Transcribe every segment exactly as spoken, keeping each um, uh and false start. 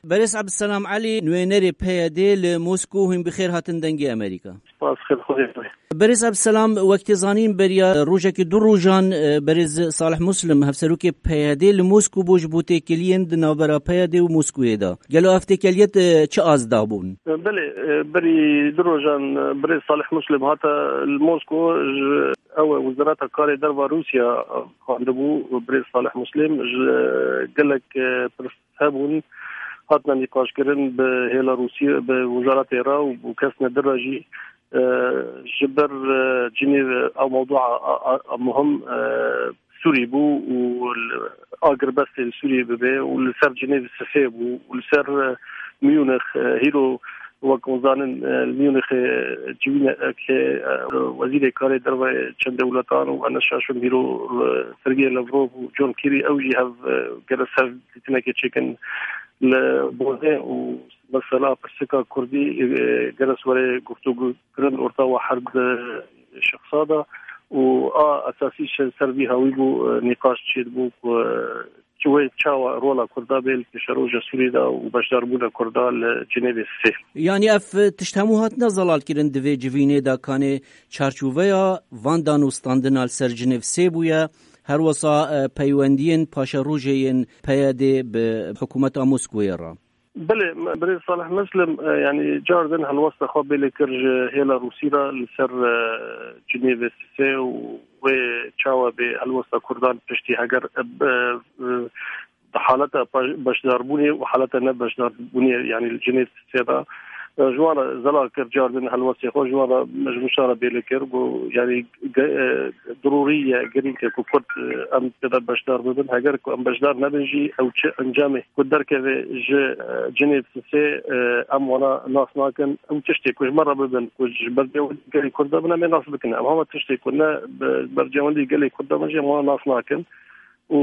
Berêz Ebdselam Elî, nûnerê P Y D li Mosko, hûn bi xêr hatin Dengê Amerîka. Spas, xêr xwedê. Berêz Ebdselam, wek tê zanîn, beriya rojekî du rojan, e, berêz Salih Muslim, hevserokê P Y D li Mosko bû ji bo têkiliyên di navbera P Y D û Moskoyê de. Gelo ev têkiliyet, e, çi az dabûn? Belê, e, berî du rojan, e, birêz Salih Muslim hate li Mosko, ji ew e Wezareta Karê Derva Rûsya, e, xwendibû birêz Salih Muslim, ji, e, gelek, e, pirs hebûn, hatine nîqaşkirin bi hêla Rûsî, bi wizaretê re û bi kesine din re jî, e, ji ber, e, cinê ew mewdua a, a, a muhim, e, Sûrî bû û li, agirbestê li Sûriyê bibe û li ser Cinêv sisê bû û li ser, e, Munîx, e, hîro wek hûn zanin, e, li Munîxê civînekê, e, wezîrê karê derve çend dewletan û Enes Şaşûn hîro, e, Sergey Lavrov û John Kerry ew jî hev, e, gere ser dîtinekê çêkin li Bonê û mesela pirsika Kurdî, e, gere were guftûgû kirin orta wa her di şexsa de û a esasî ji ser vî hawî bû, e, nîqaş çêdibû ku, e, çi wê çawa rola Kurda bê li pêşeroja Sûriyê de û beşdarbûna Kurda li Cinêvê sê. Yanî ev tişt hemû hatine zelalkirin di vê civînê de, kanê çarçoveya van danûstandina li ser Cinêv sê bûye, her wesa, e, peywendiyên paşerojê yên P Y D bi hikûmeta Moskowê re. Belê, me, birêz Salih Muslim, e, yanî car din helwesta xwe bê lê kir ji hêla Rûsî re li ser, e, Cinêvê sisê û wê çawa bê helwesta Kurdan piştî heger, e, bi, e, bi haleta paş-, beşdarbûnê û haleta nebeşdarbûnê, yanî li Cinêv sisê de, e, ji wan re zelal kir, car din helwestê xwe ji wan re, ji mişa re bê lê kir, got, yanî ge-, e, dirûrî ye, girîng e ku Kurd, e, em tê de beşdar bibin. Heger ku em beşdar nebin jî, ew çi encamê ku derkeve ji, e, Cinêv sisê, e, em wana nas nakin. Ew tiştê ku ji me re bibin, ku ji bercewendî gelê Kurd de bin, em ê nas bikin. Em hema tiştê ku ne bi bercewendî gelê Kurd de bin jî, em wana nas nakin. Û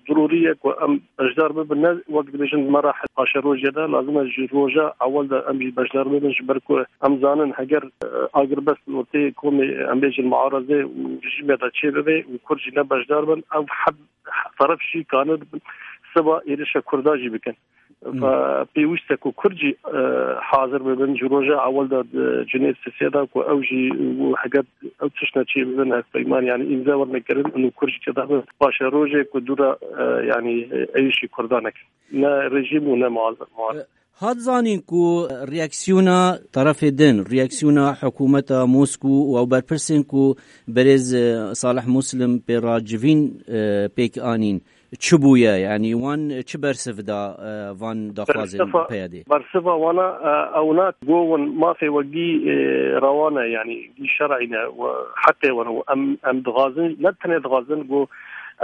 dirûrî ye ku em beşdar bibin. Ne wek dibêjin di merahl paşerojê de, lazim e ji roja ewil de em jî beşdar bibin, ji ber ku em zanin heger, e, agirbest li ortê komê, em bêjin muarazê û rejîmê de çêbibe û Kurd jî ne beşdar bin, ev heb-, teref jî kanin siba êrişa Kurda jî bikin. Ve pêwîst e ku Kurd jî, e, hazir bibin ji roja ewil de di Cinêv sisê de ku ew jî û heger ew tiştine çê bibin hevpeyman, yanî îmze werine kirin û Kurd jî tê de bin. Paşerojê ku dû re, e, yanî, e, êrişî Kurdan nekin. Ne rejîm û ne muaz-, muar-. Hat zanîn ku reaksiyona terefê din, reaksiyona hikûmeta Moskû û ew berpirsên ku berêz, e, Salih Muslim pê re civîn, e, pêk anîn, çi bûye? Yanî wan çi bersiv da, e, van daxwazên Bersiva, P Y D? Bersiva wana, e, ewna go win mafê we gî, e, rewa ne, yanî gî şer'î ne, we heqê we ne, em, em dixwazin, ne tenê dixwazin, go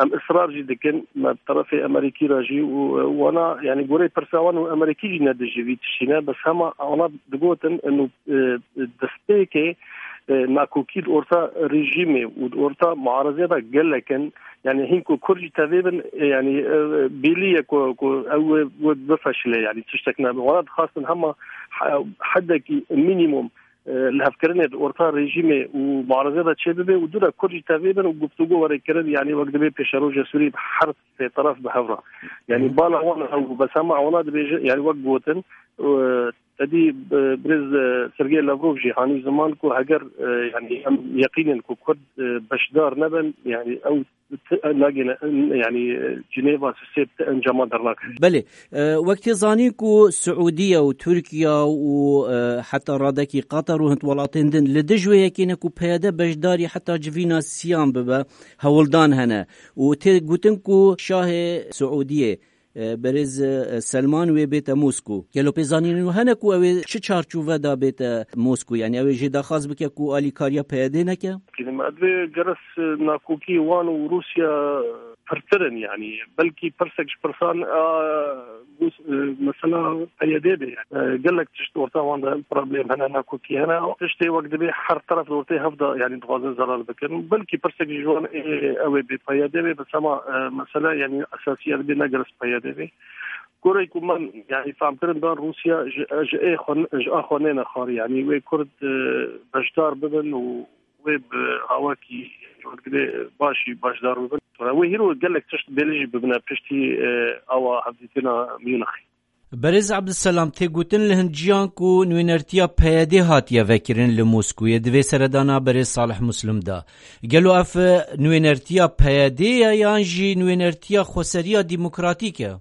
em israr jî dikin, me bi terefê Amerîkî re jî û, e, wana, yanî gorê pirsa wan û Amerîkî jî ne dijî vî tiştî ne, bes hema wana digotin, inu, e, destpêkê, e, nakokî di orta rejîmê û di orta muarazê de gelek in, Yanî hîn ku Kurd jî tevê bin, e, yanî, e, bêlî ye ku, ku ew wê, wê bifeşile, yanî tiştek nebe. Wana dixwastin hema he-, hedekî mînîmum, e, lihevkirinê di orta rejîmê û muarazê de çêbibe û dû re Kurd jî tevê bin û guftûgo were kirin, yanî wek dibê pêşeroja Sûrî bi her sê teref bi hev re. Yanî Hı. bala wan ew bû, bes hema wana dibêje, yanî wek gotin, e, Tedî, e, birêz, e, Sergey Lavrov jî hanî ziman ku heger, e, yanî em yeqîn in ku Kurd, e, beşdar nebin, yanî ew ti-, nagêne, yanî, e, Cinêva sisê ti encama dernakin. Belê, e, wek tê zanîn ku Siûdiye û Tirkiye û, e, heta radekî Qatar û hin welatên din li dij wê yekê ne ku P Y D beşdarî heta civîna siyan bibe, hewldan hene û tê gotin ku şahê Siûdiyê e, berêz, e, Selman wê bête Mosko. Gelo pêzanînên wî hene ku ew ê çi çarçove de bête Mosko? Yanî ew ê jê daxwaz bike ku alîkariya P Y D neke? Kilim, ez vê geres, e, nakokî wan û Rûsya pirtir in, yanî belkî pirsek ji pirsan, a, Rûs-, e, mesela P Y D be. E, gelek tişt orta wan de problem hene, nakokî hene. Tiştê wek dibê her teref li ortê hev de, yanî dixwazin zelal bikin. Belkî pirsek ji wan ê ew ê bê P Y D be, bes hema, e, mesela, yanî esasî ez bê ne geres P Y D be. Goreyê ku min, yanî, fehmkirin dan Rûsya ji, ji ê xwe, ji a xwe nêne xwarî. Yanî wê Kurd, e, beşdar bibin û wê bi awakî wek dibê başî beşdar bibin. Wê hîro gelek tişt bêlî jî bibine piştî, e, awa hevdîtina Munîxê. Berêz Abdulselam, tê gotin li hin ciyan ku nûnertiya P Y D hatiye vekirin li Moskûyê, di vê seredana berêz Salih Muslim de. Gelo ev, e, nûnertiya P Y D ye yan jî nûnertiya Xweseriya Demokratîk e?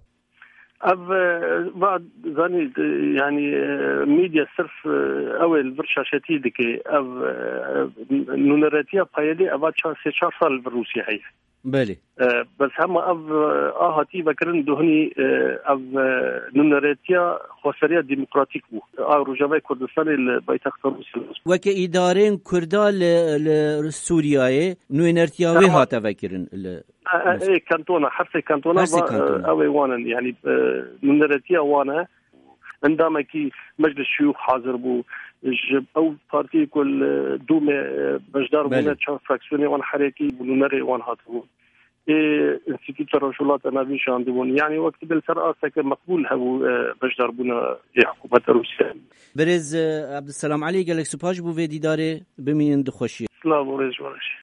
Ev, e, va zanî, e, yanî, e, medya sirf, e, ew ê li vir şaşetî dike. Ev, e, nûneretiya P Y D eva çar, sê çar sal li vir Rûsya heye. Belê. E, bes hema ev, e, a hatî vekirin duhnî, e, ev, e, nûneretiya Xweseriya Demokratîk bû. A Rojavayê Kurdistanê li paytexta Rûsya. Weke îdarên Kurda li, li Sûriyeyê nûnertiya wê Tamam. hate vekirin li E, e, Moskwa. Ê kantona, her sê kantona Her sê va, e, kantona. ew ê wan in, yanî, e, nûneretiya wan e. Endamekî Meclis Şiyûx hazir bû. Ji ew partiyê ku li Dûmê, e, beşdar bûne, Belê. çar fraksiyonê wan herekî bû, nûnerê wan hatibû. Ê Înstîtuta Rojhilata Navîn şandibûn. Yanî wek dibê li ser asteke meqbûl hebû, e, beşdarbûna ê hikûmeta Rûsya. Birêz, e, Abdulselam Elî, gelek spas ji bo vê dîdarê, bimînin di xweşiyê. Silav û rêz ji we re jî.